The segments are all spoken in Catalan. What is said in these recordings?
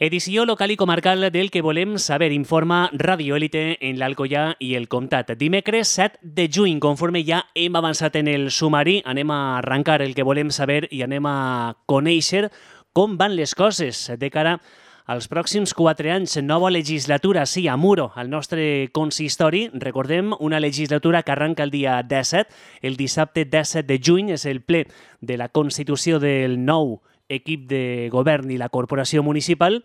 Edició local i comarcal del que volem saber, informa Radio Élite en l'Alcoià i el Comtat. Dimecres 7 de juny, conforme ja hem avançat en el sumari, anem a arrencar el que volem saber i anem a conèixer com van les coses de cara als pròxims 4 anys. Nova legislatura, sí, a Muro, al nostre consistori. Recordem, una legislatura que arranca el dia 17. El dissabte 17 de juny és el ple de la constitució del nou equip de govern i la corporació municipal.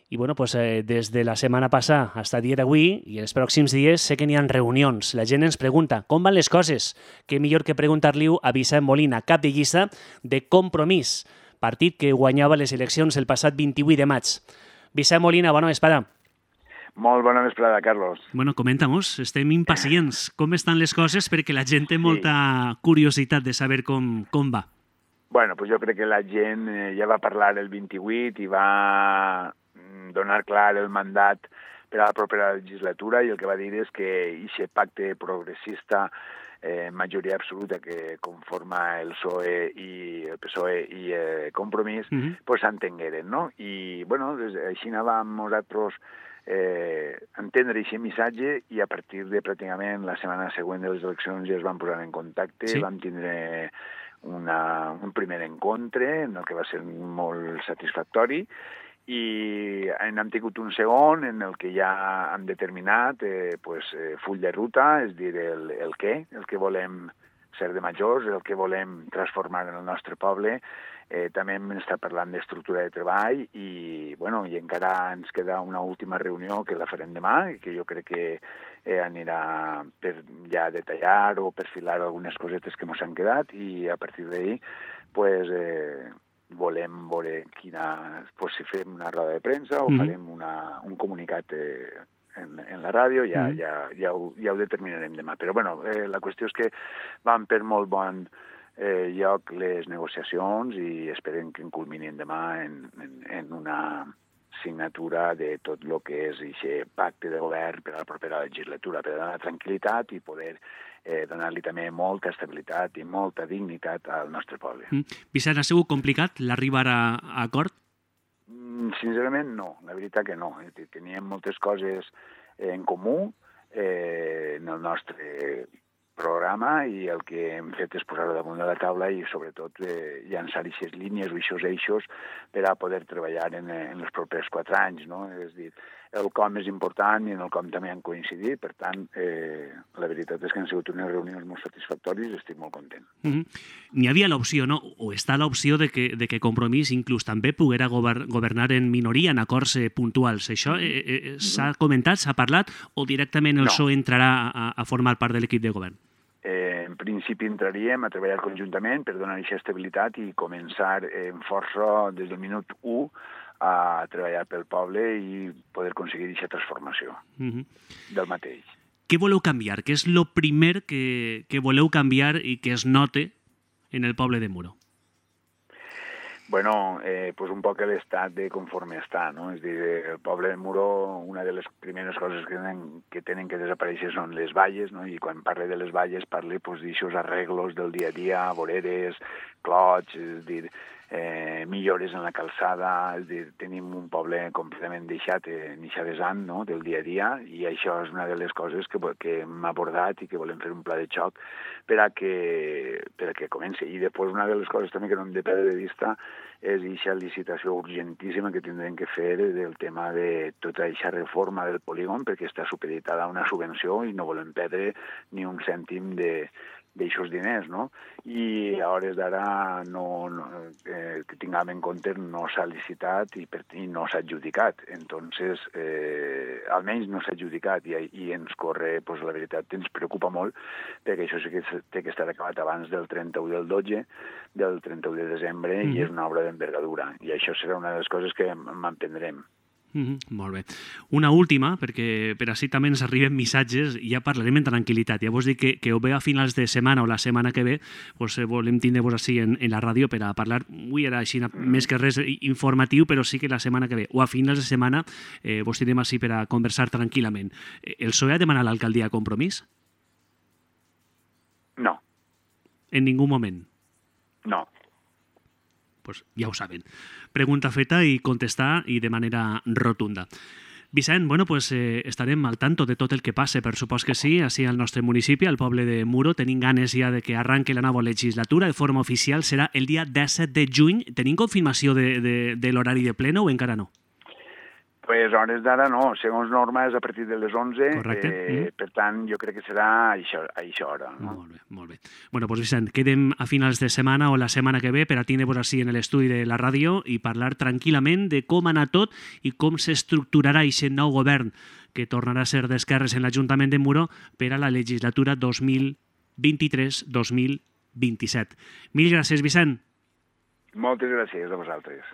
I bueno, pues, des de la setmana passada fins al dia d'avui i els pròxims dies sé que n'hi ha reunions. La gent ens pregunta com van les coses. Què millor que preguntar-li-ho a Vicent Molina, cap de llista de Compromís, partit que guanyava les eleccions el passat 28 de maig. Vicent Molina, bona vesprada. Molt bona vesprada, Carlos. Bueno, comenta-mos, estem impacients. Com estan les coses? Perquè la gent té molta curiositat de saber com va. Bueno, pues jo crec que la gent ja va parlar el 28 i va donar clar el mandat per a la propera legislatura i el que va dir és que aquest pacte progressista majoria absoluta que conforma el PSOE i Compromís, pues s'entengueren, no? I, bueno, així anàvem nosaltres entendre aquest missatge i a partir de pràcticament la setmana següent de les eleccions ja es van posar en contacte, vam tindre un primer encontre en el que va ser molt satisfactori i hem tingut un segon en el que ja hem determinat full de ruta, és dir, el que volem ser de majors, el que volem transformar en el nostre poble. També hem estat parlant d'estructura de treball i encara ens queda una última reunió que la farem demà i que jo crec que anirà per ja detallar o perfilar algunes cosetes que ens han quedat i a partir d'ahir volem veure si fem una roda de premsa o farem un comunicat en la ràdio, ja ho determinarem demà. Però la qüestió és que van per molt bon lloc les negociacions i esperem que culminin demà en una signatura de tot el que és aquest pacte de govern per a la propera legislatura, per a donar tranquil·litat i poder donar-li també molta estabilitat i molta dignitat al nostre poble. Vicent, ha sigut complicat l'arribar a acord? Sincerament no, la veritat que no. Teníem moltes coses en comú en el nostre programa i el que hem fet és posar-ho damunt de la taula i sobretot llançar aquestes línies o aquests eixos per a poder treballar en els propers 4 anys, no? És dir, el com és important i en el com també han coincidit, per tant, la veritat és que han sigut unes reunions molt satisfactòries i estic molt content. N'hi havia l'opció, no? O està l'opció de que Compromís inclús també poguera governar en minoria en acords puntuals. Això s'ha comentat, s'ha parlat, o directament el PSOE entrarà a formar part de l'equip de govern? En principi entraríem a treballar conjuntament per donar aquesta estabilitat i començar en força des del minut 1 a treballar pel poble i poder aconseguir aquesta transformació del mateix. Què voleu canviar? Què és el primer que voleu canviar i que es note en el poble de Muro? Bueno, pues un poc l'estat de conforme està, no? És dir, el poble de Muro, una de les primeres coses que tenen que desaparèixer són les valles, no? I quan parle de les valles parle d'aixòs arreglos del dia a dia, voreres, clots, és dir, millores en la calçada, és dir, tenim un poble completament deixat en eixa vessant, no?, del dia a dia, i això és una de les coses que hem abordat i que volem fer un pla de xoc per a que comenci. I després una de les coses també que no hem de perdre de vista és eixa licitació urgentíssima que tindrem que fer del tema de tota eixa reforma del polígon, perquè està supeditada a una subvenció i no volem perdre ni un cèntim d'aixòs diners, no? I a hores d'ara que tinguem en compte no s'ha licitat i no s'ha adjudicat. Entonces, almenys no s'ha adjudicat i ens corre, pues, la veritat, ens preocupa molt perquè això sí que té que estar acabat abans del 31 del 12, del 31 de desembre i és una obra d'envergadura. I això serà una de les coses que mantindrem. Molt bé. Una última, perquè per així també ens arriben missatges i ja parlarem en tranquil·litat. Ja vos dic que o bé a finals de setmana o la setmana que ve volem tindre-vos així en la ràdio per a parlar. Avui era així més que res informatiu, però sí que la setmana que ve o a finals de setmana vos tindrem així per a conversar tranquil·lament. El PSOE ha demanat l'alcaldia a Compromís? No. En ningú moment? No. pues ja ho saben. Pregunta feta i contestar i de manera rotunda. Vicent, bueno, pues estarem al tanto de tot el que passe, per supòs que sí, així al nostre municipi, al poble de Muro. Tenim ganes ja de que arranque la nova legislatura. De forma oficial serà el dia 17 de juny. Tenim confirmació de l'horari de pleno o encara no? Pues hores d'ara no, segons norma és a partir de les 11, per tant jo crec que serà a aquesta hora. No? Molt bé. Bueno, doncs Vicent, quedem a finals de setmana o la setmana que ve per a tindre-vos així en l'estudi de la ràdio i parlar tranquil·lament de com ha anat tot i com s'estructurarà aquest nou govern que tornarà a ser d'esquerres en l'Ajuntament de Muro per a la legislatura 2023-2027. Mil gràcies, Vicent. Moltes gràcies a vosaltres.